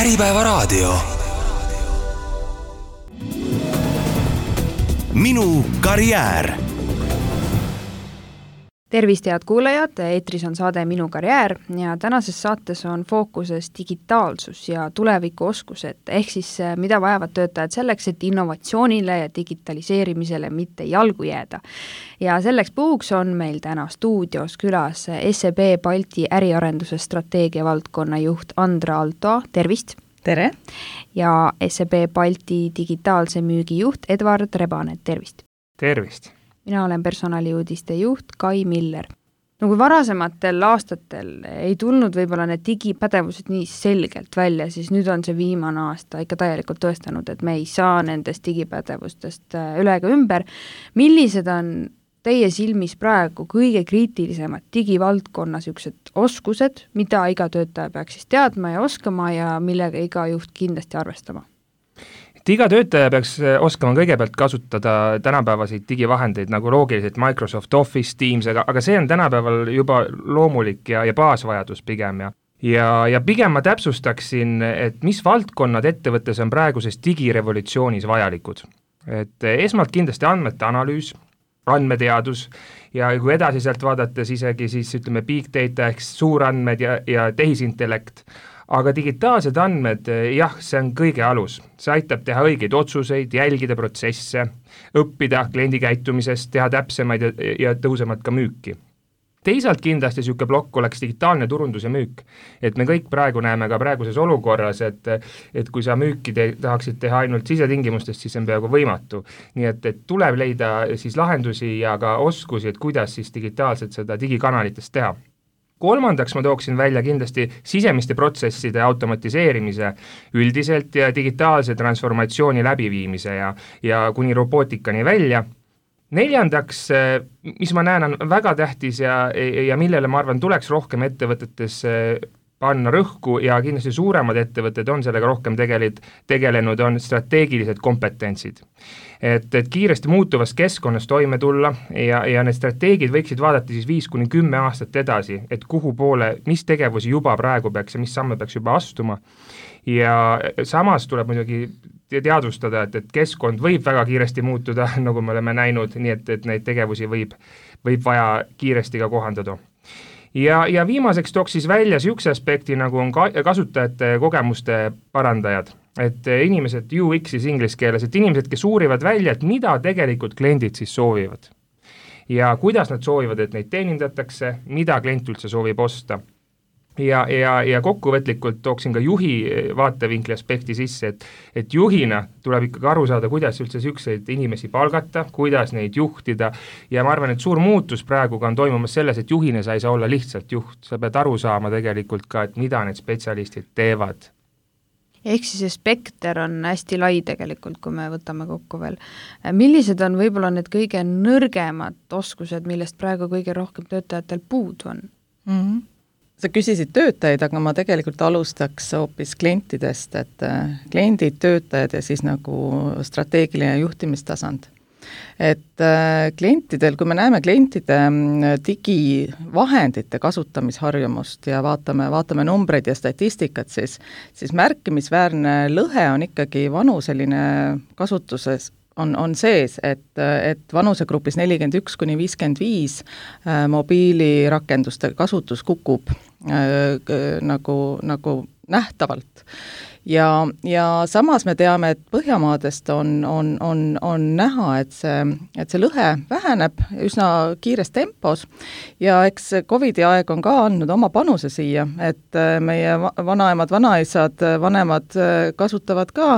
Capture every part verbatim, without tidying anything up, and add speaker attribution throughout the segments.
Speaker 1: Äripäevaraadio. Minu karjäär.
Speaker 2: Tervist, head kuulajad, eetris on saade Minu karjäär ja tänases saates on fookuses digitaalsus ja tulevikuoskused, ehk siis mida vajavad töötajad selleks, et innovatsioonile ja digitaliseerimisele mitte jalgu jääda. Ja selleks puhuks on meil täna stuudios külas S E B Balti äriarenduse strateegia valdkonna juht Andra Alto, tervist!
Speaker 3: Tere!
Speaker 2: Ja S E B Balti digitaalse müügi juht Edvard Rebanet, tervist!
Speaker 4: Tervist!
Speaker 2: Mina olen personaliuudiste juht Kai Miller. No kui varasematel aastatel ei tulnud võib-olla need digipädevused nii selgelt välja, siis nüüd on see viimane aasta ikka täielikult tõestanud, et me ei saa nendest digipädevustest üle ega ümber. Millised on teie silmis praegu kõige kriitilisemad digivaldkonna siuksed oskused, mida iga töötaja peaks siis teadma ja oskama ja millega iga juht kindlasti arvestama?
Speaker 4: Iga töötaja peaks oskama kõigepealt kasutada tänapäevaseid digivahendeid nagu loogiliselt Microsoft Office, Teams, aga, aga see on tänapäeval juba loomulik ja, ja baasvajadus pigem. Ja, ja, ja pigem ma täpsustaksin, et mis valdkonnad ettevõttes on praeguses digirevolutsioonis vajalikud. Et esmalt kindlasti andmete analüüs, andmeteadus ja kui edasi sealt vaadates isegi siis ütleme big data ehk suurandmed ja, ja tehisintellekt. Aga digitaalsed andmed, jah, see on kõige alus. See aitab teha õigeid otsuseid, jälgida protsesse, õppida kliendi käitumisest, teha täpsemaid ja, ja tõusemat ka müüki. Teisalt kindlasti siuke plokk oleks digitaalne turundus ja müük. Et me kõik praegu näeme ka praeguses olukorras, et, et kui sa müüki te, tahaksid teha ainult sisetingimustest, siis see on peaaegu võimatu. Nii et, et tuleb leida siis lahendusi ja ka oskusi, et kuidas siis digitaalselt seda digikanalitest teha. Kolmandaks ma tooksin välja kindlasti sisemiste protsesside automatiseerimise üldiselt ja digitaalse transformatsiooni läbiviimise ja, ja kuni robootikani välja. Neljandaks, mis ma näen on väga tähtis ja, ja millele ma arvan tuleks rohkem ettevõtetes panna rõhku ja kindlasti suuremad ettevõtted on sellega rohkem tegeled, tegelenud, on strateegilised kompetentsid. Et, et kiiresti muutuvas keskkonnas toime tulla ja, ja need strateegid võiksid vaadata siis viis kuni kümme aastat edasi, et kuhu poole, mis tegevusi juba praegu peaks ja mis samme peaks juba astuma. Ja samas tuleb muidugi teadvustada, et, et keskkond võib väga kiiresti muutuda, nagu me oleme näinud, nii et, et neid tegevusi võib, võib vaja kiiresti ka kohandada. Ja, ja viimaseks tooks siis välja siukse aspekti, nagu on ka, kasutajate kogemuste parandajad. Et inimesed U X siis inglise keeles, et inimesed, kes uurivad välja, et mida tegelikult kliendid siis soovivad. Ja kuidas nad soovivad, et neid teenindatakse, mida klient üldse soovib osta. Ja, ja, ja kokkuvõtlikult tooksin ka juhi vaatevinkli aspekti sisse, et, et juhina tuleb ikkagi aru saada, kuidas üldse siukseid inimesi palgata, kuidas neid juhtida ja ma arvan, et suur muutus praegu on toimumas selles, et juhina sa ei saa olla lihtsalt juht, sa pead aru saama tegelikult ka, et mida need spetsialistid teevad.
Speaker 2: Ehk siis see spekter on hästi lai tegelikult, kui me võtame kokku veel. Millised on võib-olla need kõige nõrgemad oskused, millest praegu kõige rohkem töötajatel puudu on?
Speaker 3: Mm-hmm. Sa küsisid töötajaid, aga ma tegelikult alustaks hoopis klientidest, et kliendid, töötajad ja siis nagu strateegiline juhtimistasand. Et klientidel, kui me näeme klientide digivahendite kasutamisharjumust ja vaatame, vaatame numbreid ja statistikat, siis, siis märkimisväärne lõhe on ikkagi vanuseline kasutuses on, on sees, et, et vanusegrupis nelikümmend üks kuni viiskümmend viis äh, mobiilirakenduste kasutus kukub äh, nagu, nagu nähtavalt. Ja, ja samas me teame, et Põhjamaadest on, on, on, on näha, et see, et see lõhe väheneb üsna kiires tempos ja eks Covidi aeg on ka andnud oma panuse siia, et meie vanaemad, vanaisad, vanemad kasutavad ka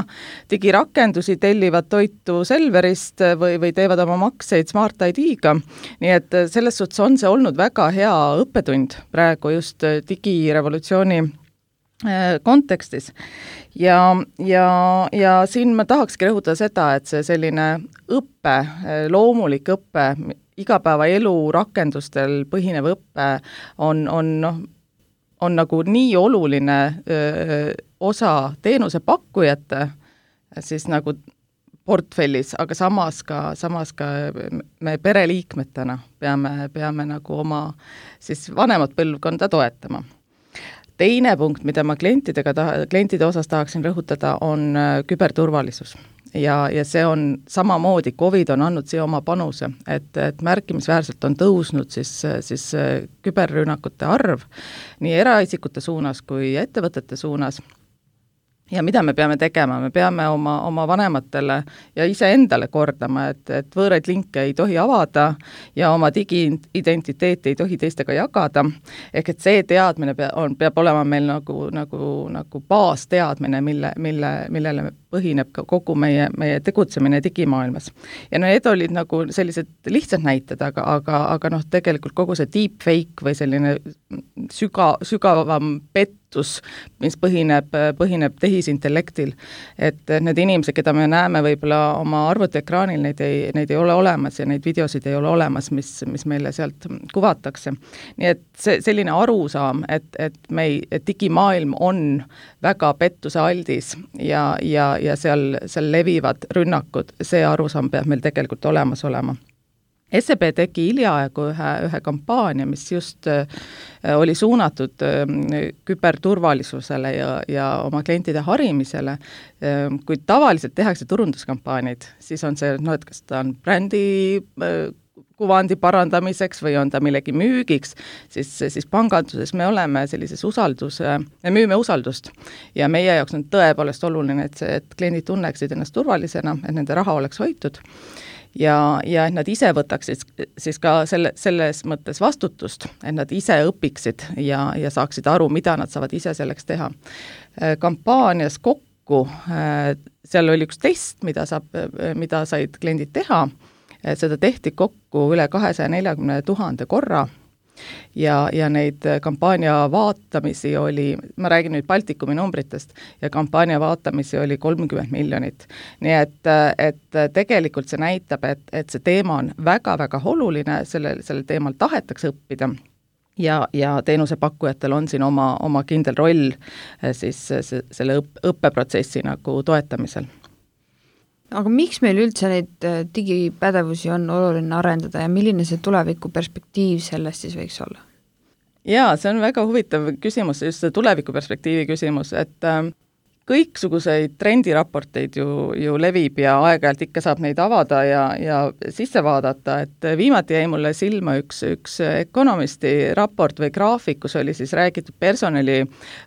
Speaker 3: digirakendusi, tellivad toitu Selverist või, või teevad oma makseid Smart I D-ga. Nii et selles suhtes on see olnud väga hea õppetund praegu just digirevolutsiooni kontekstis. Ja, ja, ja siin ma tahakski rõhutada seda, et see selline õppe, loomulik õppe, igapäevaelu rakendustel põhinev õppe on, on, noh, on nagu nii oluline öö, osa teenuse pakkujate siis nagu portfellis, aga samas ka, samas ka me pereliikmetena peame, peame nagu oma siis vanemat põlvkonda toetama. teine punkt, mida ma klientidega taha, klientide osas tahaksin rõhutada, on küberturvalisus. Ja, ja see on samamoodi, Covid on andnud siia oma panuse, et, et märkimisväärselt on tõusnud siis, siis küberrünnakute arv nii eraisikute suunas kui ettevõtete suunas. Ja mida me peame tegema? Me peame oma, oma vanematele ja iseendale kordama, et, et võõraid linke ei tohi avada ja oma digiidentiteeti ei tohi teistega jagada. Ehk et see teadmine pea, on, peab olema meil nagu, nagu, nagu baasteadmine, mille, mille, millele põhineb kogu meie, meie tegutsemine digimaailmas. Ja need olid nagu sellised lihtsad näited, aga, aga, aga noh, tegelikult kogu see deepfake või selline süga, sügavam pettus, mis põhineb, põhineb tehisintellektil, et need inimesed, keda me näeme võib-olla oma arvutiekraanil, neid ei, neid ei ole olemas ja neid videosid ei ole olemas, mis, mis meile sealt kuvatakse. Nii et see, selline arusaam, et, et, me ei, et digimaailm on väga pettuse aldis ja, ja ja seal, seal levivad rünnakud, see arusaam peab meil tegelikult olemas olema. S E B tegi hiljaaegu ühe, ühe kampaania, mis just äh, oli suunatud äh, küberturvalisusele ja, ja oma klientide harimisele. Äh, kui tavaliselt tehakse turunduskampaanid, siis on see, no et kas ta on brändi äh, kuvandi parandamiseks või on ta millegi müügiks, siis, siis panganduses me oleme sellises usaldus, me müüme usaldust ja meie jaoks on tõepoolest oluline, et, see, et kliendid tunneksid ennast turvalisena, et nende raha oleks hoitud ja, ja et nad ise võtaksid siis ka selle, selles mõttes vastutust, et nad ise õpiksid ja, ja saaksid aru, mida nad saavad ise selleks teha. Kampaanias kokku, seal oli üks test, mida, saab, mida said kliendid teha, seda tehti kokku üle kahesaja neljakümne tuhande korra ja, ja neid kampaania vaatamisi oli, ma räägin nüüd Baltikumi numbritest, ja kampaania vaatamisi oli kolmkümmend miljonit. Nii et, et tegelikult see näitab, et, et see teema on väga-väga oluline, selle, selle teemal tahetakse õppida. Ja, ja teenusepakkujatel on siin oma, oma kindel roll siis selle õppeprotsessi nagu toetamisel.
Speaker 2: Aga miks meil üldse neid digipädevusi on oluline arendada ja milline see tuleviku perspektiiv sellest siis võiks olla?
Speaker 3: Jaa, see on väga huvitav küsimus, just see tuleviku perspektiivi küsimus, et kõiksuguseid trendiraporteid ju, ju levib ja aeg-ajalt ikka saab neid avada ja, ja sisse vaadata, et viimati jäi mulle silma üks, üks Economisti raport või graafik, kus oli siis räägitud personali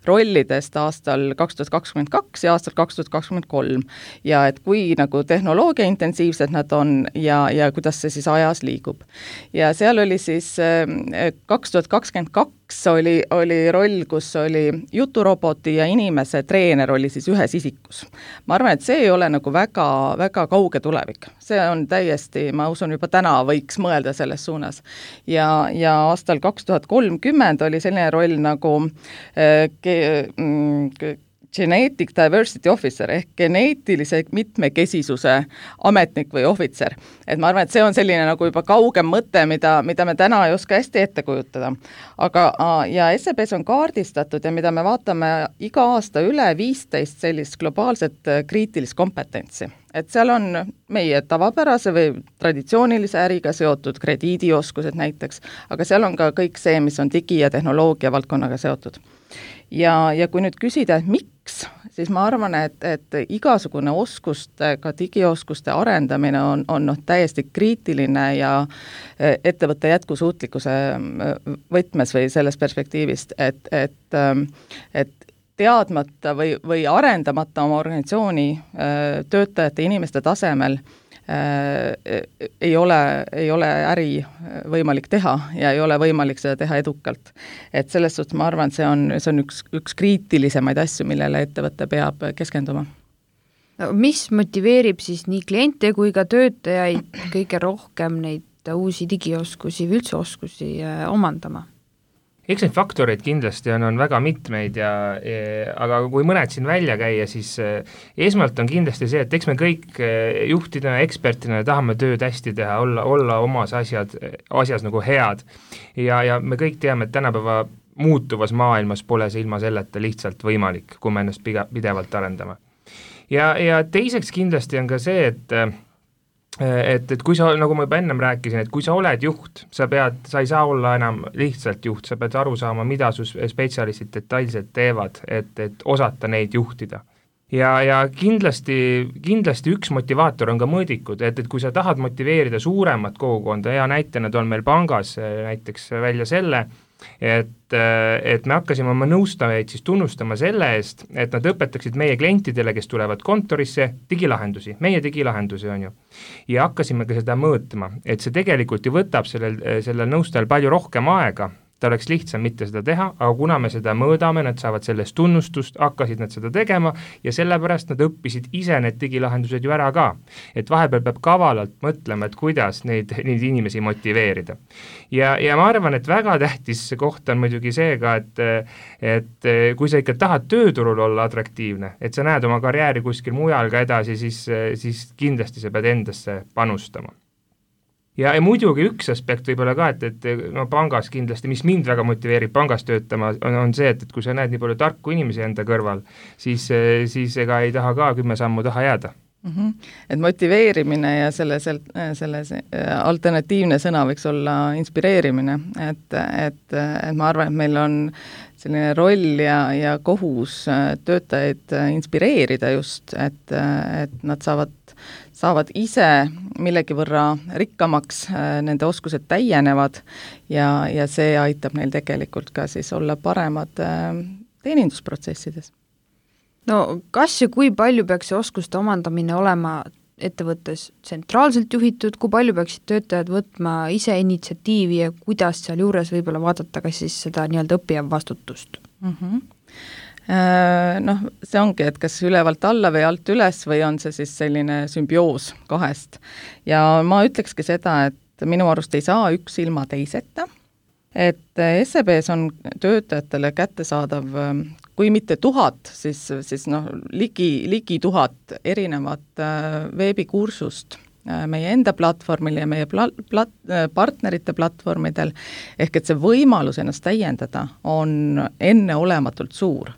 Speaker 3: rollidest aastal kaks tuhat kakskümmend kaks ja aastal kaks tuhat kakskümmend kolm ja et kui nagu tehnoloogia intensiivsed nad on ja, ja kuidas see siis ajas liigub. Ja seal oli siis kaks tuhat kakskümmend kaks oli, oli roll, kus oli juturoboti ja inimese treener oli siis ühes isikus. Ma arvan, et see ei ole nagu väga, väga kauge tulevik. See on täiesti, ma usun, juba täna võiks mõelda selles suunas. Ja, ja aastal kaks tuhat kolmkümmend oli selline roll nagu äh, ke, mm, Genetic Diversity Officer ehk geneetilise mitmekesisuse ametnik või ohvitser. Et ma arvan, et see on selline nagu juba kaugem mõte, mida, mida me täna ei oska hästi ette kujutada. Aga ja S E B-s on kaardistatud ja mida me vaatame iga aasta üle viisteist sellist globaalset kriitilist kompetentsi. Et seal on meie tavapärase või traditsioonilise äriga seotud krediidioskused näiteks, aga seal on ka kõik see, mis on digi- ja tehnoloogia valdkonnaga seotud. Ja, ja kui nüüd küsida, et miks, siis ma arvan, et, et igasugune oskuste, ka digioskuste arendamine on, on noh, täiesti kriitiline ja ettevõtte jätkusuutlikkuse võtmes või sellest perspektiivist, et, et, et teadmata või, või arendamata oma organisatsiooni töötajate inimeste tasemel Äh, ei ole, ei ole äri võimalik teha ja ei ole võimalik seda teha edukalt. Et selles suhtes ma arvan, et see on, see on üks, üks kriitilisemaid asju, millele ettevõte peab keskenduma.
Speaker 2: No, mis motiveerib siis nii kliente kui ka töötajaid kõige rohkem neid uusi digioskusi või üldse oskusi omandama?
Speaker 4: Eks neid faktoreid kindlasti on, on väga mitmeid, ja, ja, aga kui mõned siin välja käia, siis esmalt on kindlasti see, et eks me kõik juhtidena, ekspertina tahame tööd hästi teha, olla, olla omas asjad, asjas nagu head. Ja, ja me kõik teame, et tänapäeva muutuvas maailmas pole see ilma selleta lihtsalt võimalik, kui me ennast pidevalt arendame. Ja, ja teiseks kindlasti on ka see, et et, et kui sa, nagu ma juba ennem rääkisin, et kui sa oled juht, sa pead, sa ei saa olla enam lihtsalt juht, sa pead aru saama, mida su spetsialistid detailselt teevad, et, et osata neid juhtida. Ja, ja kindlasti, kindlasti üks motivaator on ka mõõdikud, et, et kui sa tahad motiveerida suuremat kogukonda, ja näitena toon meil pangas näiteks välja selle, et, et me hakkasime oma nõustajaid siis tunnustama selle eest, et nad õpetaksid meie klientidele, kes tulevad kontorisse, digilahendusi, meie digilahendusi on ju. Ja hakkasime ka seda mõõtma, et see tegelikult ju võtab sellel, sellel nõustajal palju rohkem aega, ta oleks lihtsam mitte seda teha, aga kuna me seda mõõdame, nad saavad sellest tunnustust, hakkasid nad seda tegema ja sellepärast nad õppisid ise need digilahendused ju ära ka. Et vahepeal peab kavalalt mõtlema, et kuidas neid, neid inimesi motiveerida. Ja, ja ma arvan, et väga tähtis koht on muidugi see ka, et, et kui sa ikka tahad tööturul olla atraktiivne, et sa näed oma karjääri kuskil mujal ka edasi, siis, siis kindlasti sa pead endasse panustama. Ja, ja muidugi üks aspekt võib-olla ka, et, et no pangas kindlasti, mis mind väga motiveerib pangas töötama, on, on see, et, et kui sa näed nii palju tarku inimesi enda kõrval, siis, siis ega ei taha ka kümme sammu taha jääda.
Speaker 3: Mm-hmm. Et motiveerimine ja selle, selle, selle alternatiivne sõna võiks olla inspireerimine, et, et, et ma arvan, et meil on selline roll ja, ja kohus töötajaid inspireerida just, et, et nad saavad saavad ise millegi võrra rikkamaks, nende oskused täienevad ja, ja see aitab neil tegelikult ka siis olla paremad teenindusprotsessides.
Speaker 2: No kas ja kui palju peaks see oskuste omandamine olema ettevõttes tsentraalselt juhitud, kui palju peaksid töötajad võtma ise initsiatiivi ja kuidas seal juures võib-olla vaadata ka siis seda nii-öelda õppija vastutust?
Speaker 3: Mm-hmm. Noh, see ongi, et kas ülevalt alla või alt üles või on see siis selline sümbioos kahest. Ja ma ütlekski seda, et minu arust ei saa üks ilma teiseta, et S E B-s on töötajatele kättesaadav, kui mitte tuhat, siis, siis noh, ligi, ligi tuhat erinevat veebikursust meie enda platvormil ja meie plat, plat, partnerite platvormidel, ehk et see võimalus ennast täiendada on enneolematult suur.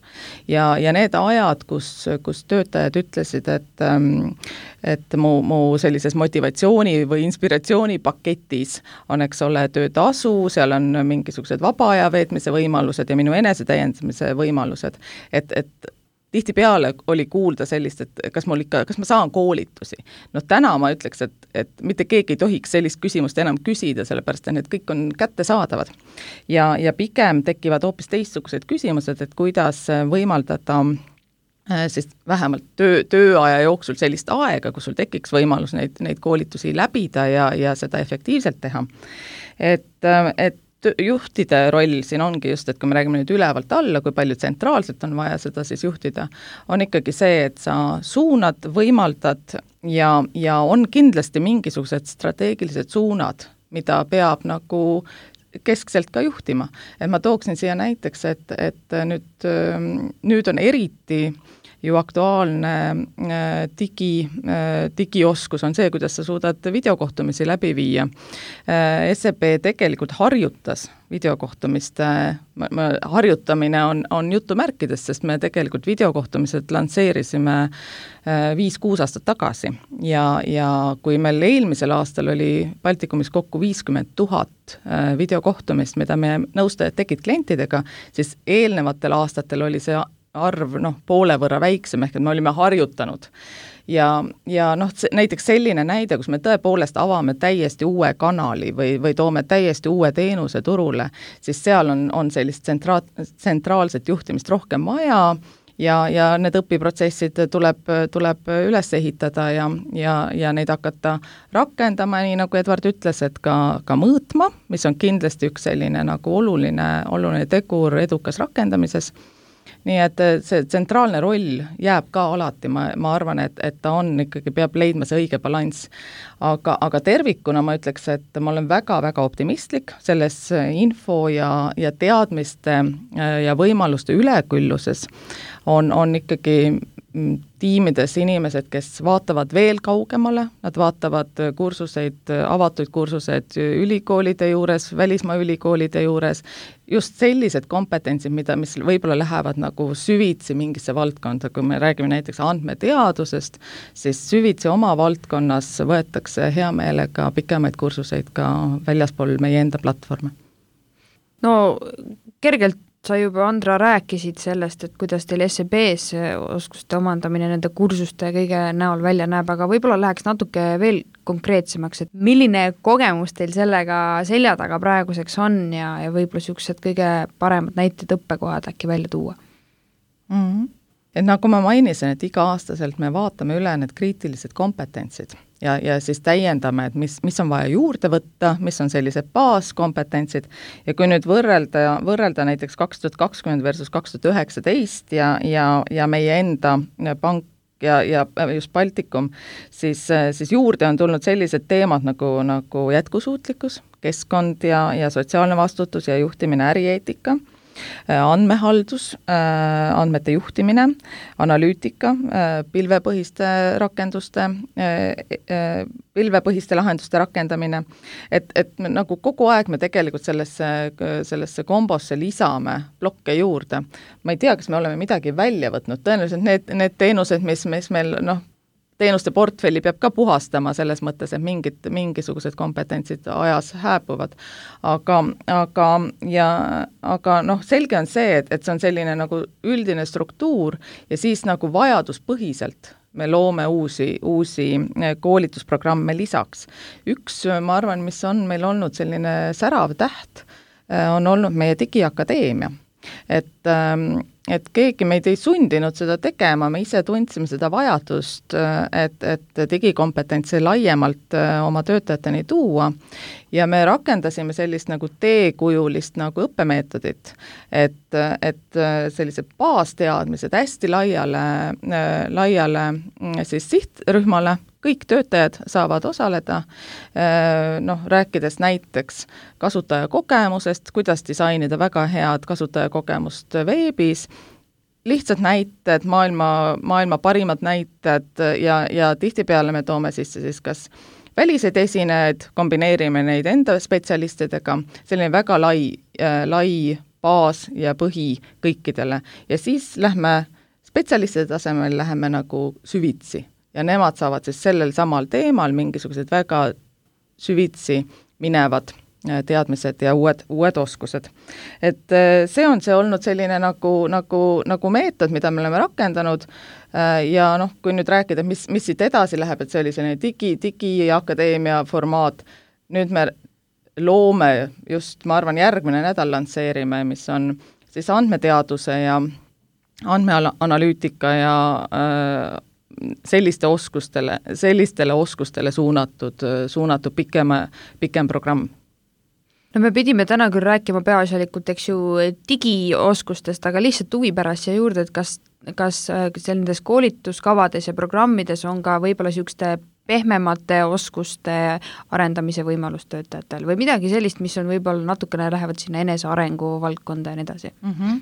Speaker 3: Ja, ja need ajad, kus, kus töötajad ütlesid, et, et mu, mu sellises motivatsiooni või inspiratsiooni paketis on, eks ole, töötasu, seal on mingisugused vaba aja veetmise võimalused ja minu enesetäiendamise võimalused, et, et tihtipeale oli kuulda sellist, et kas, mul ikka, kas ma saan koolitusi. No täna ma ütleks, et, et mitte keegi ei tohiks sellist küsimust enam küsida, sellepärast et need kõik on kättesaadavad. Ja, ja pigem tekivad hoopis teistsugused küsimused, et kuidas võimaldada siis vähemalt töö, tööaja jooksul sellist aega, kus sul tekiks võimalus neid, neid koolitusi läbida ja, ja seda efektiivselt teha. Et, et juhtide roll siin ongi just, et kui me räägime nüüd ülevalt alla, kui palju tsentraalselt on vaja seda siis juhtida, on ikkagi see, et sa suunad, võimaldad ja, ja on kindlasti mingisugused strateegilised suunad, mida peab nagu keskselt ka juhtima. Et ma tooksin siia näiteks, et, et nüüd, nüüd on eriti ju aktuaalne digi, digioskus on see, kuidas sa suudad videokohtumisi läbi viia. S E B tegelikult harjutas videokohtumiste, harjutamine on, on jutumärkides, sest me tegelikult videokohtumised lansseerisime viis-kuus aastat tagasi ja, ja kui meil eelmisel aastal oli Baltikumis kokku viiskümmend tuhat videokohtumist, mida me nõustajad tegid klientidega, siis eelnevatel aastatel oli see arv noh, poole võrra väiksem, ehk et me olime harjutanud. Ja, ja noh, näiteks selline näide, kus me tõepoolest avame täiesti uue kanali või, või toome täiesti uue teenuse turule, siis seal on, on sellist tsentra, tsentraalset juhtimist rohkem vaja ja, ja need õpiprotsessid tuleb, tuleb üles ehitada ja, ja, ja neid hakata rakendama, nii nagu Edward ütles, et ka, ka mõõtma, mis on kindlasti üks selline nagu oluline, oluline tegur edukas rakendamises. Nii et see tsentraalne roll jääb ka alati, ma, ma arvan, et, et ta on ikkagi, peab leidma see õige balanss. Aga, aga tervikuna ma ütleks, et ma olen väga-väga optimistlik selles info ja, ja teadmiste ja võimaluste ülekülluses on, on ikkagi tiimides inimesed, kes vaatavad veel kaugemale, nad vaatavad kursuseid, avatuid kursuseid ülikoolide juures, välismaa ülikoolide juures, just sellised kompetentsid, mida, mis võib-olla lähevad nagu süvitsi mingisse valdkonda, kui me räägime näiteks andmeteadusest, siis süvitsi oma valdkonnas võetakse hea meelega pikemaid kursuseid ka väljaspool meie enda platvorme.
Speaker 2: No kergelt sa juba, Andra, rääkisid sellest, et kuidas teil S E B-s oskuste omandamine nende kursuste kõige näol välja näeb, aga võib-olla läheks natuke veel konkreetsemaks, et milline kogemus teil sellega selja taga praeguseks on ja, ja võib-olla niisugused kõige paremad näited õppekohad äkki välja tuua?
Speaker 3: Mm-hmm. Et nagu ma mainisin, et iga-aastaselt me vaatame üle need kriitilised kompetentsid ja, ja siis täiendame, et mis, mis on vaja juurde võtta, mis on sellised baaskompetentsid ja kui nüüd võrrelda, võrrelda näiteks kaks tuhat kakskümmend versus kaks tuhat üheksateist ja, ja, ja meie enda pank ja, ja just Baltikum, siis, siis juurde on tulnud sellised teemad nagu, nagu jätkusuutlikkus, keskkond ja, ja sotsiaalne vastutus ja juhtimine, ärieetika, andmehaldus, andmete juhtimine, analüütika, pilvepõhiste rakenduste, pilvepõhiste lahenduste rakendamine, et, et me, nagu kogu aeg me tegelikult sellesse, sellesse kombosse lisame plokke juurde. Ma ei tea, kas me oleme midagi välja võtnud, tõenäoliselt need, need teenused, mis, mis meil noh, teenuste portfelli peab ka puhastama selles mõttes, et mingid, mingisugused kompetentsid ajas hääbuvad. Aga, aga, ja, aga noh, selge on see, et, et see on selline nagu üldine struktuur ja siis nagu vajaduspõhiselt me loome uusi, uusi koolitusprogramme lisaks. Üks, ma arvan, mis on meil olnud selline särav täht, on olnud meie digiakadeemia. Et, et keegi meid ei sundinud seda tegema, me ise tundsime seda vajadust, et, et digikompetentsi laiemalt oma töötajateni tuua ja me rakendasime sellist nagu teekujulist nagu õppemeetodit, et, et sellised baasteadmised hästi laiale, laiale siis sihtrühmale, kõik töötajad saavad osaleda, noh, rääkides näiteks kasutajakogemusest, kuidas disainida väga head kasutajakogemust veebis, lihtsad näited, maailma, maailma parimad näited ja, ja tihtipeale me toome sisse siis kas väliseid esinejaid, kombineerime neid enda spetsialistidega, selline väga lai, lai baas ja põhi kõikidele ja siis lähme spetsialistide tasemel, läheme nagu süvitsi. Ja nemad saavad siis sellel samal teemal mingisugused väga süvitsi minevad teadmised ja uued, uued oskused. Et see on see olnud selline nagu, nagu, nagu meetod, mida me oleme rakendanud ja noh, kui nüüd rääkida, mis, mis siit edasi läheb, et see oli selline digi, digiakadeemia formaat, nüüd me loome just, ma arvan, järgmine nädal lansseerime, mis on siis andmeteaduse ja andmeanalüütika ja äh, selliste oskustele, sellistele oskustele suunatud, suunatud pikema, pikem programm.
Speaker 2: No me pidime täna küll rääkima peaasjalikult, eks ju, digioskustest, aga lihtsalt huvi pärast ja juurde, et kas, kas nendes koolituskavades ja programmides on ka võib-olla niisuguste pehmemate oskuste arendamise võimalus töötajatel või midagi sellist, mis on võib-olla natukene lähevad sinna enesearengu valdkonda ja nii edasi?
Speaker 3: Mm-hmm.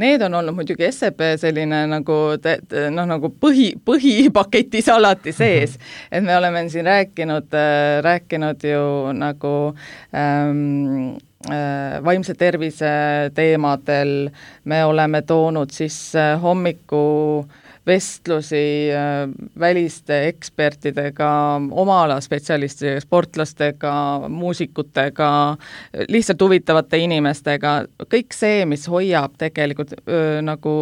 Speaker 3: Need on olnud muidugi S E B selline nagu, noh, nagu põhi, põhipaketis alati sees, et me oleme siin rääkinud, rääkinud ju nagu ähm, vaimse tervise teemadel, me oleme toonud siis hommiku vestlusi väliste ekspertidega, oma ala spetsialistidega, sportlastega, muusikutega, lihtsalt huvitavate inimestega, kõik see, mis hoiab tegelikult öö, nagu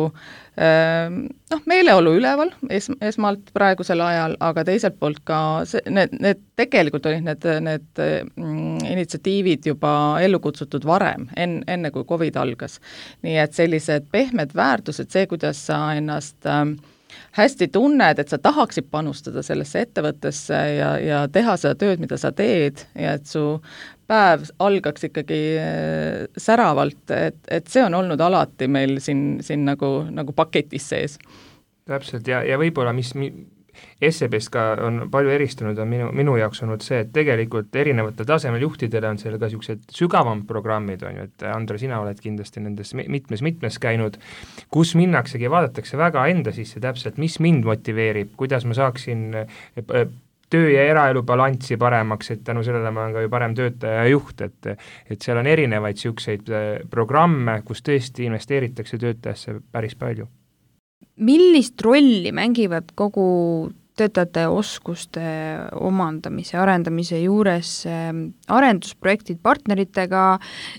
Speaker 3: öö, noh, meeleolu üleval es, esmalt praegusel ajal, aga teiselt poolt ka see, need, need tegelikult olid need, need mm, initsiatiivid juba ellu kutsutud varem, en, enne kui Covid algas. Nii et sellised pehmed väärtused, see, kuidas sa ennast äh, hästi tunned, et sa tahaksid panustada sellesse ettevõttesse ja, ja teha seda tööd, mida sa teed ja et su päev algaks ikkagi säravalt, et, et see on olnud alati meil siin, siin nagu, nagu paketis sees.
Speaker 4: Täpselt ja, ja võib-olla mis S E B-st ka on palju eristunud, on minu, minu jaoks olnud see, et tegelikult erinevatel tasemel juhtidele on seal ka niisugused sügavam programmid, on ju, et Andre, sina oled kindlasti nendes mitmes-mitmes käinud, kus minnaksegi, vaadatakse väga enda sisse täpselt, mis mind motiveerib, kuidas ma saaksin töö ja eraelu balanssi paremaks, et tänu sellele ma olen ka ju parem töötaja ja juht, et et seal on erinevaid niisuguseid programme, kus tõesti investeeritakse töötajasse päris palju.
Speaker 2: Millist rolli mängivad kogu töötajate oskuste omandamise, arendamise juures arendusprojektid partneritega,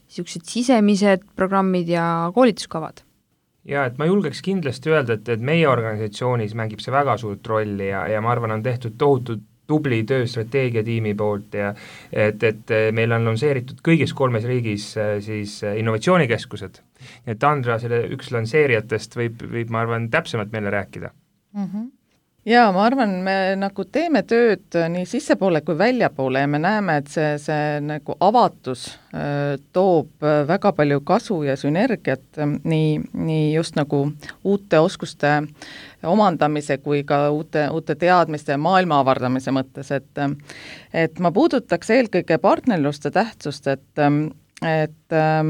Speaker 2: niisugused sisemised programmid ja koolituskavad?
Speaker 4: Ja et ma julgeks kindlasti öelda, et, et meie organisatsioonis mängib see väga suurt rolli ja, ja ma arvan, on tehtud tohutud tubli töö strateegiatiimi poolt ja et, et meil on lansseeritud kõigis kolmes riigis siis innovatsioonikeskused. Et Andra, selle üks lansseerijatest võib, võib, ma arvan, täpsemalt meile rääkida.
Speaker 3: Mm-hmm. Jaa, ma arvan, me nagu teeme tööd nii sissepoole kui väljapoole ja me näeme, et see, see nagu avatus äh, toob väga palju kasu ja sünergiat äh, nii, nii just nagu uute oskuste omandamise kui ka uute, uute teadmiste ja maailma avardamise mõttes, et, et ma puudutaks eelkõige partnerluste tähtsust, et, et äh,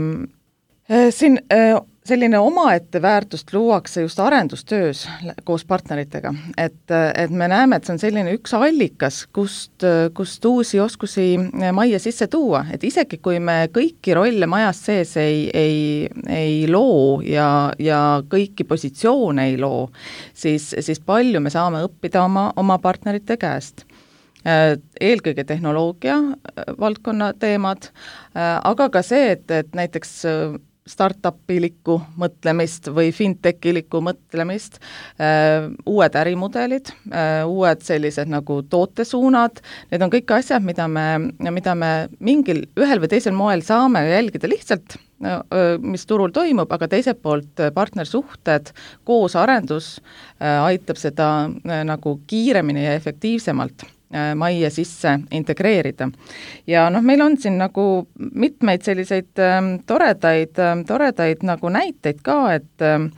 Speaker 3: siin äh, selline omaette väärtust luuakse just arendustöös koos partneritega, et, et me näeme, et see on selline üks allikas, kust, kust uusi oskusi majja sisse tuua, et isegi kui me kõiki rolle majas sees ei, ei, ei loo ja, ja kõiki positsioone ei loo, siis, siis palju me saame õppida oma, oma partnerite käest. Eelkõige tehnoloogia valdkonna teemad, aga ka see, et, et näiteks startup-ilikku mõtlemist või fintech-ilikku mõtlemist, uued ärimudelid, uued sellised nagu tootesuunad, need on kõik asjad, mida me, mida me mingil ühel või teisel moel saame jälgida lihtsalt, mis turul toimub, aga teiselt poolt partnersuhted, koos arendus aitab seda nagu kiiremini ja efektiivsemalt majja sisse integreerida. Ja noh, meil on siin nagu mitmeid selliseid ähm, toredaid, ähm, toredaid nagu näiteid ka, et ähm,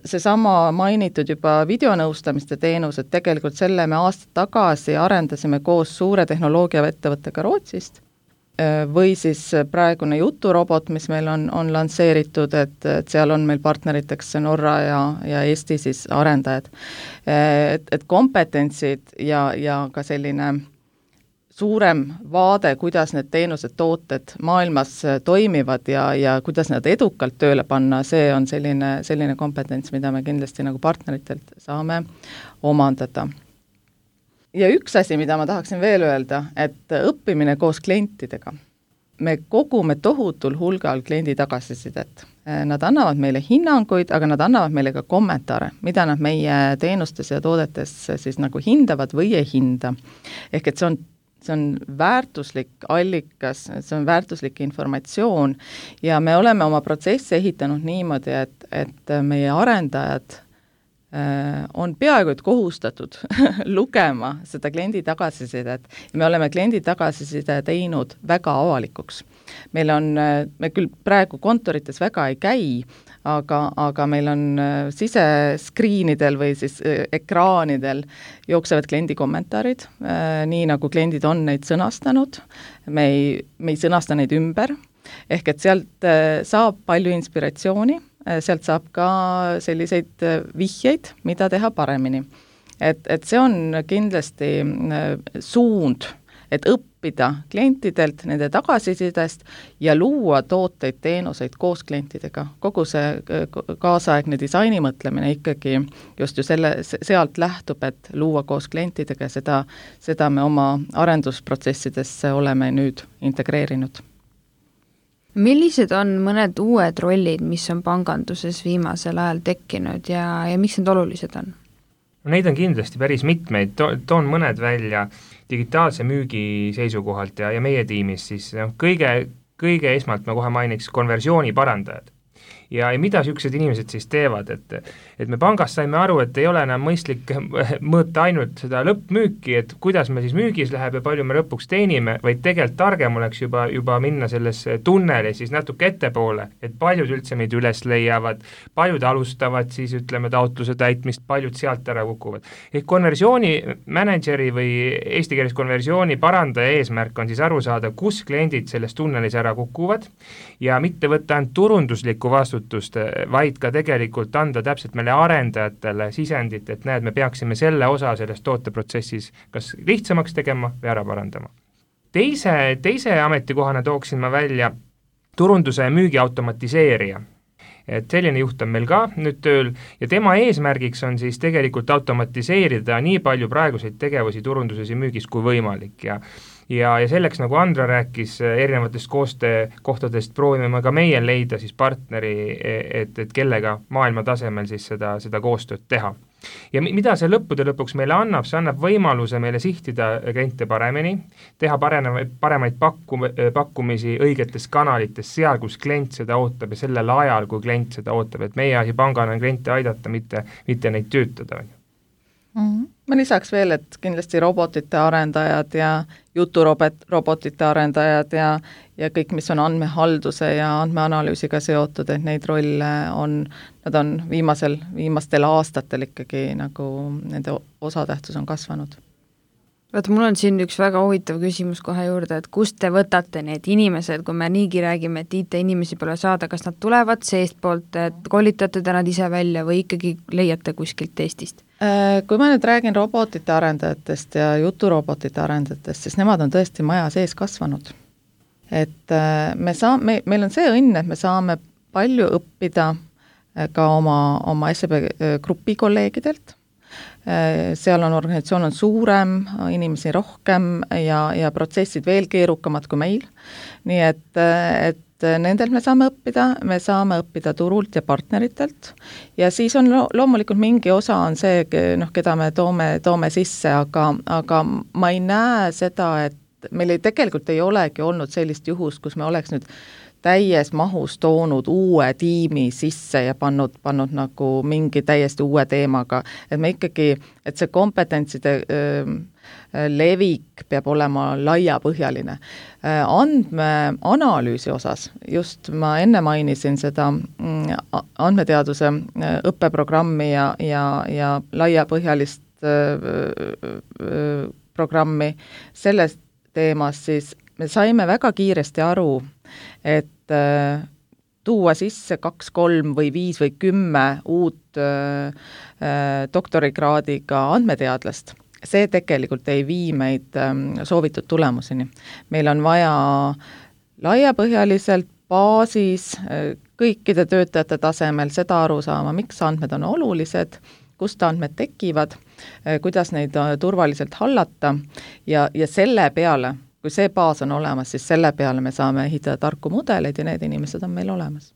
Speaker 3: seesama mainitud juba videonõustamiste teenus, et tegelikult selle me aastad tagasi arendasime koos suure tehnoloogiaettevõttega Rootsist, või siis praegune juturobot, mis meil on, on lansseeritud, et, et seal on meil partneriteks Norra ja, ja Eesti siis arendajad. Et, et kompetentsid ja, ja ka selline suurem vaade, kuidas need teenused, tooted maailmas toimivad ja, ja kuidas nad edukalt tööle panna, see on selline, selline kompetents, mida me kindlasti nagu partneritelt saame omandada. Ja üks asi, mida ma tahaksin veel öelda, et õppimine koos klientidega. Me kogume tohutul hulgal kliendi tagasisidet. Nad annavad meile hinnanguid, aga nad annavad meile ka kommentaare, mida nad meie teenustes ja toodetes siis nagu hindavad või ei hinda. Ehk et see on, see on väärtuslik allikas, see on väärtuslik informatsioon ja me oleme oma protsessi ehitanud niimoodi, et, et meie arendajad on peaaegu et kohustatud lugema seda kliendi tagasisidet ja me oleme kliendi tagasiside teinud väga avalikuks. Meil on, me küll praegu kontorites väga ei käi, aga, aga meil on siseskriinidel või siis ekraanidel jooksevad kliendi kommentaarid, nii nagu kliendid on neid sõnastanud, me ei, me ei sõnasta neid ümber, ehk et sealt saab palju inspiratsiooni, sealt saab ka selliseid vihjeid, mida teha paremini. Et, et see on kindlasti suund, et õppida klientidelt, nende tagasisidest ja luua tooteid, teenuseid koos klientidega. Kogu see kaasaegne disaini mõtlemine ikkagi just ju selle, sealt lähtub, et luua koos klientidega, seda, seda me oma arendusprotsessidesse oleme nüüd integreerinud.
Speaker 2: Millised on mõned uued rollid, mis on panganduses viimasel ajal tekkinud ja, ja miks need olulised on?
Speaker 4: Neid on kindlasti päris mitmeid, to, toon mõned välja digitaalse müügi seisukohalt ja, ja meie tiimis siis no, kõige, kõige esmalt ma kohe mainiks konversiooni parandajad. ja, ja mida niisugused inimesed siis teevad, et et me pangas saime aru, et ei ole enam mõistlik mõõta ainult seda lõppmüüki, et kuidas me siis müügis läheb ja palju me lõpuks teenime, vaid tegelikult targem oleks juba, juba minna sellesse tunneli siis natuke ettepoole, et paljud üldse meid üles leiavad, paljud alustavad siis ütleme taotluse täitmist, paljud sealt ära kukuvad. Ehk konversiooni manageri või eesti keeles konversiooni parandaja eesmärk on siis aru saada, kus kliendid selles tunnelis ära kukuvad ja mitte võtta ainult turunduslikku vastutust, vaid ka tegelikult anda täpselt meile arendajatele sisendit, et näed, me peaksime selle osa selles tooteprotsessis kas lihtsamaks tegema või ära parandama. Teise, teise ametikohana tooksin ma välja turunduse ja müügi automatiseerija. Et selline juht on meil ka nüüd tööl ja tema eesmärgiks on siis tegelikult automatiseerida nii palju praeguseid tegevusi turunduses ja müügis kui võimalik ja ja, ja selleks, nagu Andra rääkis, erinevatest koostöökohtadest proovime ka meie leida siis partneri, et, et kellega maailma tasemel siis seda, seda koostööd teha. Ja mida see lõppude lõpuks meile annab, see annab võimaluse meile sihtida kliente paremini, teha paremaid, paremaid pakkum, pakkumisi õigetes kanalites, seal, kus klient seda ootab ja sellel ajal, kui klient seda ootab, et meie asi pangana on kliente aidata, mitte, mitte neid töötada.
Speaker 3: Mm-hmm. Ma lisaks veel, et kindlasti robotite arendajad ja juturobotite arendajad ja, ja kõik, mis on andmehalduse ja andmeanalüüsiga seotud, et neid rolle on, nad on viimasel, viimastel aastatel ikkagi nagu nende osatähtsus on kasvanud.
Speaker 2: Vaata, mul on siin üks väga huvitav küsimus kohe juurde, et kust te võtate need inimesed, kui me niigi räägime, et I T-inimesi pole saada, kas nad tulevad seestpoolt, et kolitate te nad ise välja või ikkagi leiate kuskilt Eestist?
Speaker 3: Kui ma nüüd räägin robotite arendajatest ja juturobotite arendajatest, siis nemad on tõesti maja sees kasvanud. Et me saa, me, meil on see õnn, et me saame palju õppida ka oma, oma S E B grupi kolleegidelt. Seal on organisatsioon on suurem, inimesi rohkem ja, ja protsessid veel keerukamad kui meil. Nii et, et nendelt me saame õppida, me saame õppida turult ja partneritelt ja siis on lo- loomulikult mingi osa on see, noh, keda me toome, toome sisse, aga, aga ma ei näe seda, et meil ei, tegelikult ei olegi olnud sellist juhust, kus me oleks nüüd täies mahus toonud uue tiimi sisse ja pannud, pannud nagu mingi täiesti uue teemaga, et me ikkagi, et see kompetentside öö, levik peab olema laiapõhjaline. Andmeanalüüsi osas, just ma enne mainisin seda andmeteaduse õppeprogrammi ja, ja, ja laiapõhjalist programmi selles teemas, siis me saime väga kiiresti aru, et tuua sisse kaks, kolm või viis või kümme uut doktorikraadiga andmeteadlast, see tegelikult ei vii meid soovitud tulemuseni. Meil on vaja laiapõhjaliselt baasis kõikide töötajate tasemel seda aru saama, miks andmed on olulised, kust andmed tekivad, kuidas neid turvaliselt hallata ja, ja selle peale, kui see baas on olemas, siis selle peale me saame ehitada tarku mudeleid ja need inimesed on meil olemas.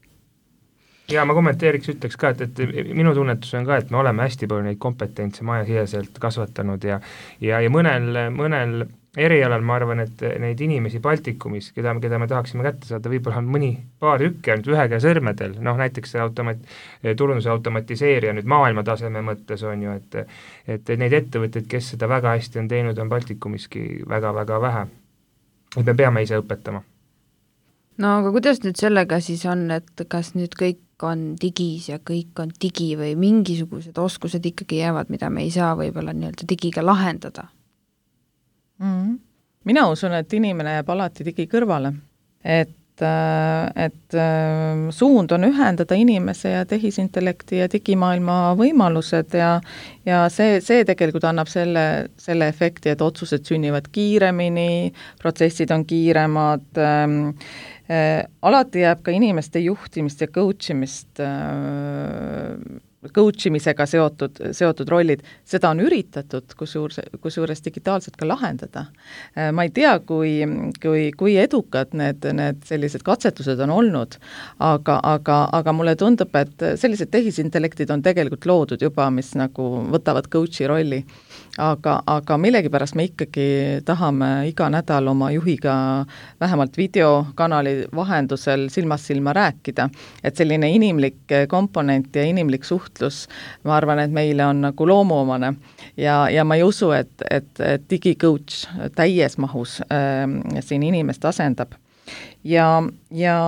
Speaker 4: Ja ma kommenteeriks, ütleks ka, et, et minu tunnetus on ka, et me oleme hästi palju neid kompetentse majasiseselt kasvatanud ja, ja, ja mõnel, mõnel erialal ma arvan, et neid inimesi Baltikumis, keda, keda me tahaksime kätte saada, võib-olla on mõni paar tükki ainult ühe käe sõrmedel, noh näiteks see automat, turunduse automatiseerija nüüd maailma taseme mõttes on ju, et, et neid ettevõtteid, kes seda väga hästi on teinud, on Baltikumiski väga-väga vähe. Et me peame ise õpetama.
Speaker 2: No aga kuidas nüüd sellega siis on, et kas nüüd kõik on digis ja kõik on digi või mingisugused oskused ikkagi jäävad, mida me ei saa võib-olla nii-öelda digiga lahendada?
Speaker 3: Mm-hmm. Mina usun, et inimene jääb alati digi kõrvale. Et, et suund on ühendada inimese ja tehisintellekti ja digimaailma võimalused ja, ja see, see tegelikult annab selle, selle efekti, et otsused sünnivad kiiremini, protsessid on kiiremad, ähm, äh, alati jääb ka inimeste juhtimist ja coachimist äh, coach imisega seotud, seotud rollid, seda on üritatud kusjuures, kusjuures digitaalselt ka lahendada. Ma ei tea, kui, kui, kui edukad need, need sellised katsetused on olnud, aga, aga, aga mulle tundub, et sellised tehisintellektid on tegelikult loodud juba, mis nagu võtavad coachi rolli. Aga, aga millegipärast me ikkagi tahame iga nädal oma juhiga vähemalt videokanali vahendusel silmast silma rääkida, et selline inimlik komponent ja inimlik suhtlus, ma arvan, et meile on nagu loomuomane ja, ja ma ei usu, et, et, et digicoach täies mahus äh, siin inimest asendab. Ja, ja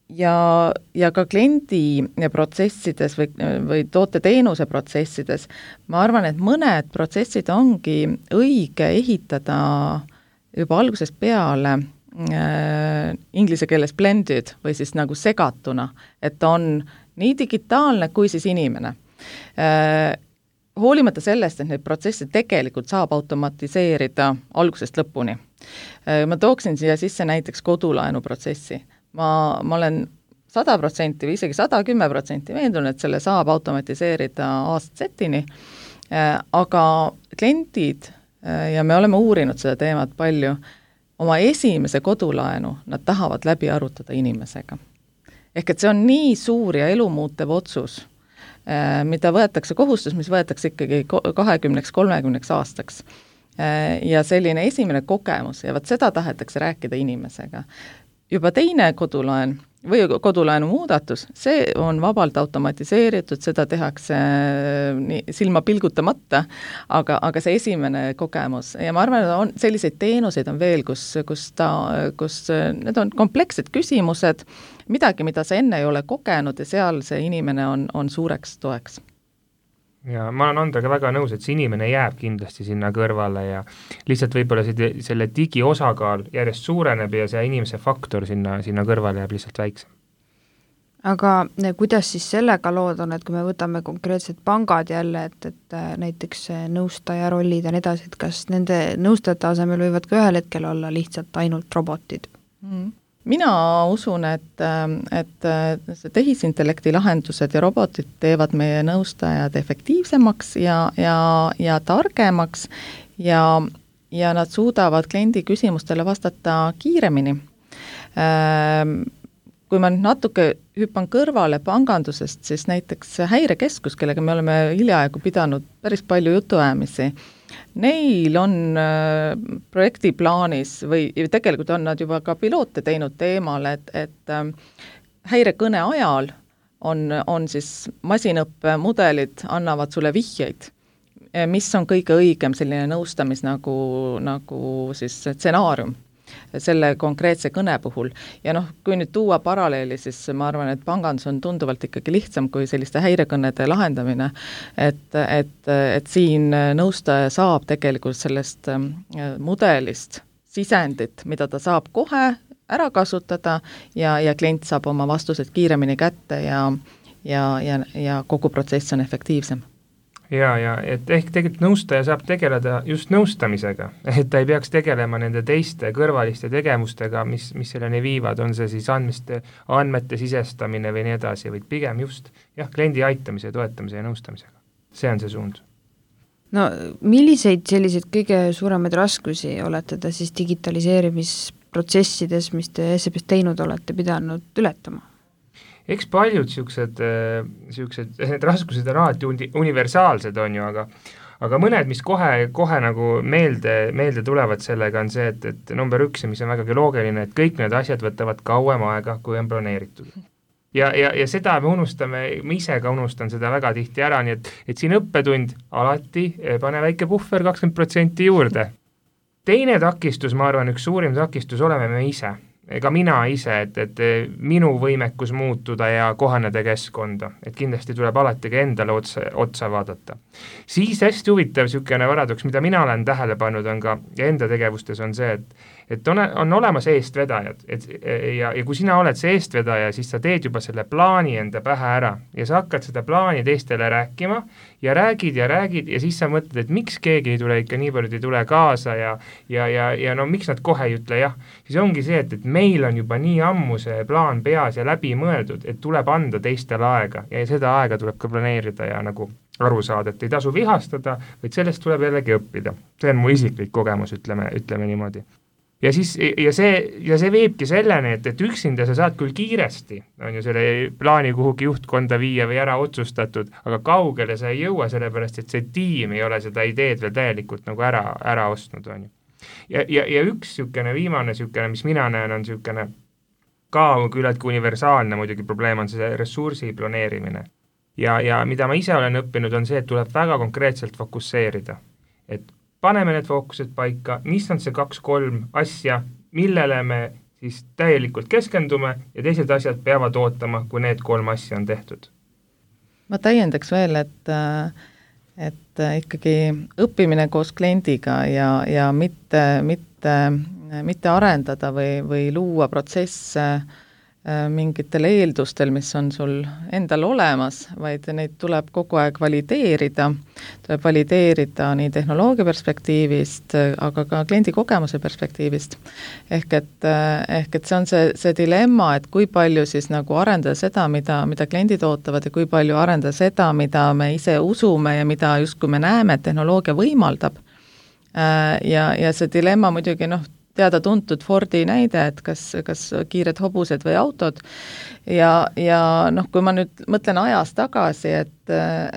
Speaker 3: ja, ja ka kliendi protsessides või, või toote-teenuse protsessides, ma arvan, et mõned protsessid ongi õige ehitada juba algusest peale äh, inglise keeles blended või siis nagu segatuna, et on nii digitaalne kui siis inimene. Äh, hoolimata sellest, et neid protsesse tegelikult saab automatiseerida algusest lõpuni. Äh, ma tooksin siia sisse näiteks kodulaenu protsessi. Ma, ma olen sada protsenti või isegi sada kümme protsenti veendunud, et selle saab automatiseerida aastasetini, aga kliendid, ja me oleme uurinud seda teemat palju, oma esimese kodulaenu nad tahavad läbi arutada inimesega. Ehk et see on nii suur ja elumuutev otsus, mida võetakse kohustus, mis võetakse ikkagi kahekümneks kolmekümneks aastaks. Ja selline esimene kogemus, ja vaat seda tahetakse rääkida inimesega. Juba teine kodulaen või kodulaenu muudatus, see on vabalt automatiseeritud, seda tehakse nii, silma pilgutamata, aga, aga see esimene kogemus ja ma arvan, et on, selliseid teenuseid on veel, kus, kus, ta, kus need on komplekssed küsimused, midagi, mida sa enne ei ole kogenud ja seal see inimene on, on suureks toeks.
Speaker 4: Ja ma olen Andrega väga nõus, et see inimene jääb kindlasti sinna kõrvale ja lihtsalt võib-olla see, selle digi osakaal järjest suureneb ja see inimese faktor sinna, sinna kõrvale jääb lihtsalt väiksem.
Speaker 2: Aga kuidas siis sellega lood on, et kui me võtame konkreetsed pangad jälle, et, et näiteks nõustaja rollid ja nii edasi, et kas nende nõustajate asemel võivad ka ühel hetkel olla lihtsalt ainult robotid?
Speaker 3: Mm. Mina usun, et, et see tehisintellekti lahendused ja robotid teevad meie nõustajad efektiivsemaks ja, ja, ja targemaks ja, ja nad suudavad kliendi küsimustele vastata kiiremini. Kui ma natuke hüppan kõrvale pangandusest, siis näiteks Häirekeskus, kellega me oleme hiljaaegu pidanud päris palju jutuajamisi, neil on äh, projekti plaanis või tegelikult on nad juba ka piloote teinud teemal, et, et äh, häirekõne ajal on, on siis masinõppemudelid annavad sulle vihjeid, mis on kõige õigem selline nõustamis nagu, nagu siis stsenaarium selle konkreetse kõne puhul. Ja noh, kui nüüd tuua paralleeli, siis ma arvan, et pangandus on tunduvalt ikkagi lihtsam kui selliste häirekõnede lahendamine, et, et, et siin nõustaja saab tegelikult sellest mudelist sisendit, mida ta saab kohe ära kasutada ja, ja klient saab oma vastused kiiremini kätte ja, ja, ja, ja kogu protsess on efektiivsem.
Speaker 4: Ja, ja et ehk tegelikult nõustaja saab tegeleda just nõustamisega, et ta ei peaks tegelema nende teiste kõrvaliste tegevustega, mis, mis selleni viivad, on see siis andmeste, andmete sisestamine või nii edasi, vaid pigem just jah, kliendi aitamise, toetamise ja nõustamisega. See on see suund.
Speaker 2: No milliseid selliseid kõige suuremaid raskusi olete te siis digitaliseerimisprotsessides, mis te S E B-s teinud olete, pidanud ületama?
Speaker 4: Eks paljud siuksed, siuksed, need raskused on alati uni, universaalsed on ju, aga, aga mõned, mis kohe, kohe nagu meelde, meelde tulevad sellega on see, et, et number üks, mis on vägagi loogiline, et kõik need asjad võtavad kauem aega, kui on planeeritud. Ja, ja, ja seda me unustame, ma ise ka unustan seda väga tihti ära, nii et, et siin õppetund alati pane väike puhver kakskümmend protsenti juurde. Teine takistus, ma arvan, üks suurim takistus oleme me ise. Ega mina ise, et, et minu võimekus muutuda ja kohaneda keskkonda, et kindlasti tuleb alati ka endale otsa, otsa vaadata. Siis hästi huvitav sükene varadoks, mida mina olen tähele pannud, on ka enda tegevustes on see, et, et on, on olemas eestvedajad, et ja, ja kui sina oled see eestvedaja, siis sa teed juba selle plaani enda pähe ära ja sa hakkad seda plaani teistele rääkima ja räägid ja räägid ja siis sa mõtled, et miks keegi ei tule ikka nii palju ei tule kaasa ja, ja, ja, ja no miks nad kohe ei ütle jah, siis ongi see, et, et meil on juba nii ammu see plaan peas ja läbi mõeldud, et tuleb anda teistele aega ja seda aega tuleb ka planeerida ja nagu aru saada, et ei tasu vihastada, vaid sellest tuleb jällegi õppida. See on mu isiklik kogemus, ütleme, ütleme niimoodi. Ja siis, ja see, ja see viibki selleni, et, et üksinda sa saad küll kiiresti, on ju selle plaani kuhugi juhtkonda viia või ära otsustatud, aga kaugele sa ei jõua, sellepärast, et see tiim ei ole seda ideed veel täielikult nagu ära, ära ostnud, on ju. Ja, ja, ja üks sükene viimane sükene, mis mina näen, on sükene ka küllaltki universaalne muidugi probleem on see ressursi planeerimine. Ja, ja mida ma ise olen õppinud, on see, et tuleb väga konkreetselt fokusseerida. Et paneme need fookused paika, mis on see kaks-kolm asja, millele me siis täielikult keskendume ja teised asjad peavad ootama, kui need kolm asja on tehtud.
Speaker 3: Ma täiendaks veel, et, et ikkagi õppimine koos kliendiga ja, ja mitte, mitte, mitte arendada või, või luua protsesse mingitel eeldustel, mis on sul endal olemas, vaid neid tuleb kogu aeg valideerida, tuleb valideerida nii tehnoloogia perspektiivist, aga ka kliendi kogemuse perspektiivist. Ehk et, ehk et see on see, see dilemma, et kui palju siis nagu arendada seda, mida, mida kliendid ootavad ja kui palju arendada seda, mida me ise usume ja mida justkui me näeme, et tehnoloogia võimaldab. Ja, ja see dilemma muidugi noh, teada-tuntud Fordi näide, et kas, kas kiired hobused või autod ja, ja noh, kui ma nüüd mõtlen ajas tagasi, et,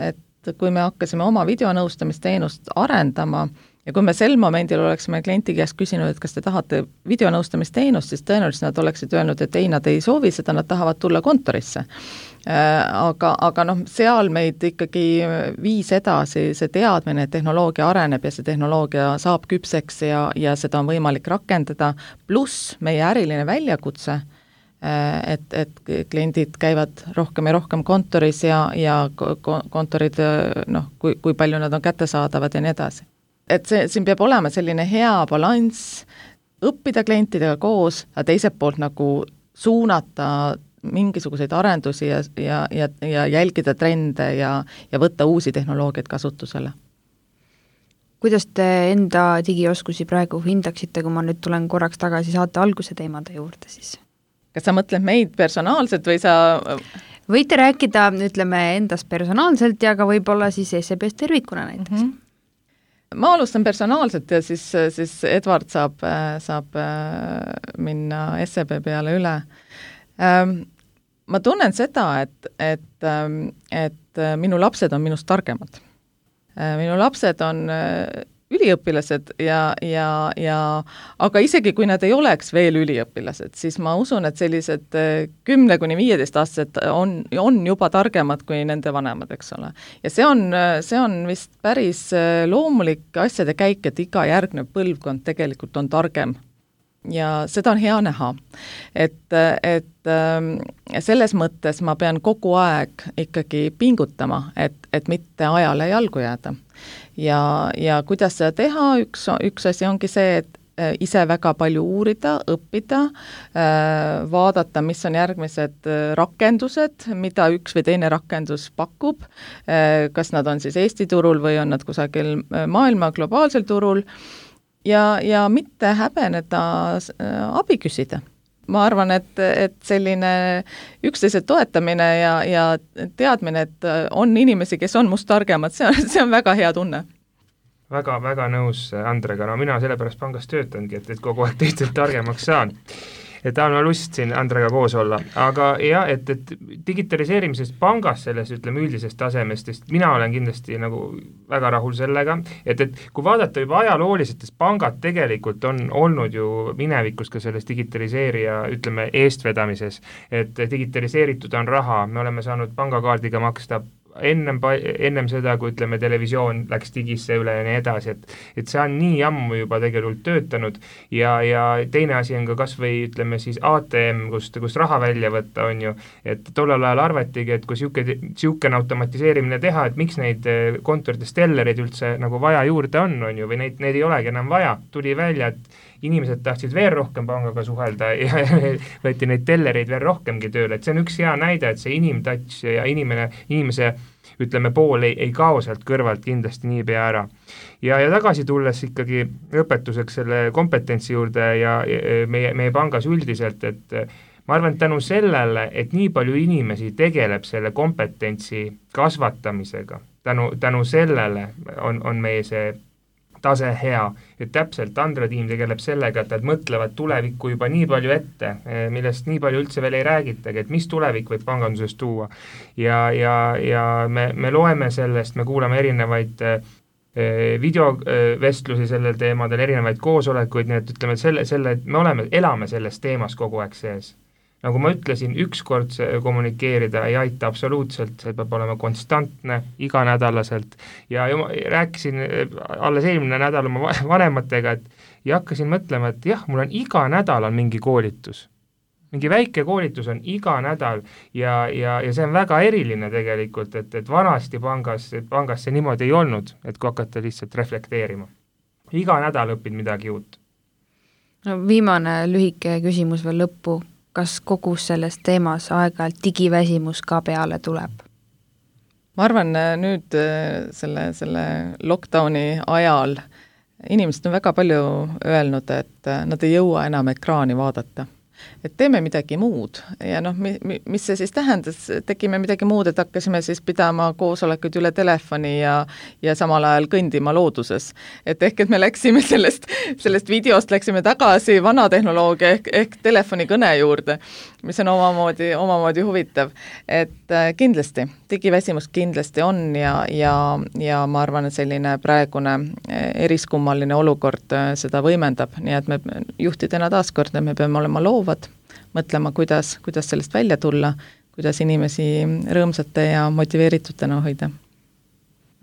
Speaker 3: et kui me hakkasime oma videonõustamisteenust arendama ja kui me sel momendil oleksime klienti käest küsinud, et kas te tahate videonõustamisteenust, siis tõenäoliselt nad oleksid öelnud, et ei, nad ei soovi seda, nad tahavad tulla kontorisse. Aga, aga noh, seal meid ikkagi viis edasi see teadmine, et tehnoloogia areneb ja see tehnoloogia saab küpseks ja, ja seda on võimalik rakendada, pluss meie äriline väljakutse, et, et kliendid käivad rohkem ja rohkem kontoris ja, ja kontorid, noh, kui, kui palju nad on kättesaadavad ja nii edasi. Et see, siin peab olema selline hea balanss, õppida klientidega koos, aga teiselt poolt nagu suunata mingisuguseid arendusi ja, ja, ja, ja jälgida trende ja, ja võtta uusi tehnoloogiaid kasutusele.
Speaker 2: Kuidas te enda digioskusi praegu hindaksite, kui ma nüüd tulen korraks tagasi saate alguse teemade juurde siis?
Speaker 3: Kas sa mõtled meid personaalselt või sa...
Speaker 2: Võite rääkida, ütleme, endast personaalselt ja ka võib-olla siis S E B-st tervikuna näiteks. Mm -hmm.
Speaker 3: Ma alustan personaalselt ja siis, siis Edward saab, saab minna S E B peale üle. Ma tunnen seda, et, et, et minu lapsed on minust targemad. Minu lapsed on üliõpilased ja, ja, ja aga isegi kui nad ei oleks veel üliõpilased, siis ma usun, et sellised kümne kuni viieteist aastased on, on juba targemad kui nende vanemad, eks ole. Ja see on, see on vist päris loomulik asjade käik, et iga järgnev põlvkond tegelikult on targem. Ja seda on hea näha, et, et selles mõttes ma pean kogu aeg ikkagi pingutama, et, et mitte ajale jalgu jääda. Ja, ja kuidas seda teha, üks, üks asi ongi see, et ise väga palju uurida, õppida, vaadata, mis on järgmised rakendused, mida üks või teine rakendus pakub, kas nad on siis Eesti turul või on nad kusagil maailma globaalsel turul, ja, ja mitte häbeneda abi küsida. Ma arvan, et, et selline üksteise toetamine ja, ja teadmine, et on inimesi, kes on must targemad, see on, see on väga hea tunne.
Speaker 4: Väga, väga nõus Andrega, no mina sellepärast pangas töötangi, et, et kogu aeg teistelt targemaks saan. Et ta on lust siin Andrega koos olla, aga jah, et, et digitaliseerimisest pangas selles, ütleme, üldisest tasemest, sest mina olen kindlasti nagu väga rahul sellega, et, et kui vaadata juba ajalooliselt, sest pangad tegelikult on olnud ju minevikus ka selles digitaliseerija, ütleme, eestvedamises, et digitaliseeritud on raha, me oleme saanud pangakaardiga maksta ennem, ennem seda, kui ütleme, televisioon läks digisse üle ja nii edasi, et et see on nii ammu juba tegelikult töötanud ja, ja teine asi on ka kas või ütleme siis A T M, kust, kust raha välja võtta, on ju, et tollel ajal arvatigi, et kui siukene automatiseerimine teha, et miks neid kontorites tellereid üldse nagu vaja juurde on, on ju, või neid, neid ei olegi enam vaja, tuli välja, et inimesed tahtsid veel rohkem pangaga suhelda ja võeti neid tellereid veel rohkemgi tööle, et see on üks hea näide, et see inimtouch ja inimene, inimese ütleme pool ei, ei kao sealt kõrvalt kindlasti niipea ära. Ja, ja tagasi tulles ikkagi õpetuseks selle kompetentsi juurde ja, ja meie, meie pangas üldiselt, et ma arvan, et tänu sellele, et nii palju inimesi tegeleb selle kompetentsi kasvatamisega, tänu, tänu sellele on, on meie see tase hea, et täpselt Andra tiim tegeleb sellega, et nad mõtlevad tulevikku juba nii palju ette, millest nii palju üldse veel ei räägitagi, et mis tulevik võib panganduses tuua. Ja, ja, ja me, me loeme sellest, me kuulame erinevaid videovestlusi sellel teemadel, erinevaid koosolekuid, nii et ütleme, selle, selle, me oleme, elame selles teemas kogu aeg sees. Nagu ma ütlesin, ükskord kommunikeerida ei aita absoluutselt, see peab olema konstantne, iganädalaselt ja, ja ma rääkisin alles eelmine nädal oma vanematega, et ja hakkasin mõtlema, et jah, mul on iga nädal on mingi koolitus. Mingi väike koolitus on iga nädal ja, ja, ja see on väga eriline tegelikult, et, et vanasti pangas, pangas see niimoodi ei olnud, et kui hakata lihtsalt reflekteerima. Iga nädal õpid midagi uut.
Speaker 2: No, viimane lühike küsimus veel lõppu. Kas kogu selles teemas aeg-ajalt digiväsimus ka peale tuleb?
Speaker 3: Ma arvan, nüüd selle, selle lockdowni ajal inimesed on väga palju öelnud, et nad ei jõua enam ekraani vaadata. Et teeme midagi muud ja noh, mi, mis see siis tähendas, tegime midagi muud, et hakkasime siis pidama koosolekuid üle telefoni ja, ja samal ajal kõndima looduses. Et ehk, et me läksime sellest, sellest videost, läksime tagasi vana tehnoloogia ehk, ehk telefonikõne juurde, mis on omamoodi, omamoodi huvitav. Et kindlasti, digiväsimus kindlasti on ja, ja, ja ma arvan, et selline praegune eriskummaline olukord seda võimendab, nii et me juhtidena taaskord, me peame olema loovad, mõtlema, kuidas, kuidas sellest välja tulla, kuidas inimesi rõõmsate ja motiveeritutena hoida.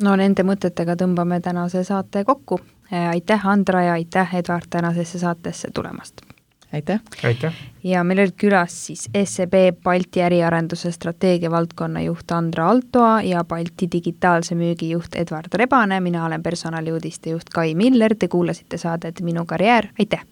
Speaker 2: No nende mõtetega tõmbame tänase saate kokku. Aitäh, Andra, ja aitäh, Edvard, tänasesse saatesse tulemast.
Speaker 3: Aitäh.
Speaker 4: Aitäh.
Speaker 2: Ja meil olid külas siis S E B Balti äriarenduse strateegia valdkonna juht Andra Altoa ja Balti digitaalse müügi juht Edvard Rebane. Mina olen personaliuudiste juht Kai Miller. Te kuulasite saadet Minu karjäär. Aitäh!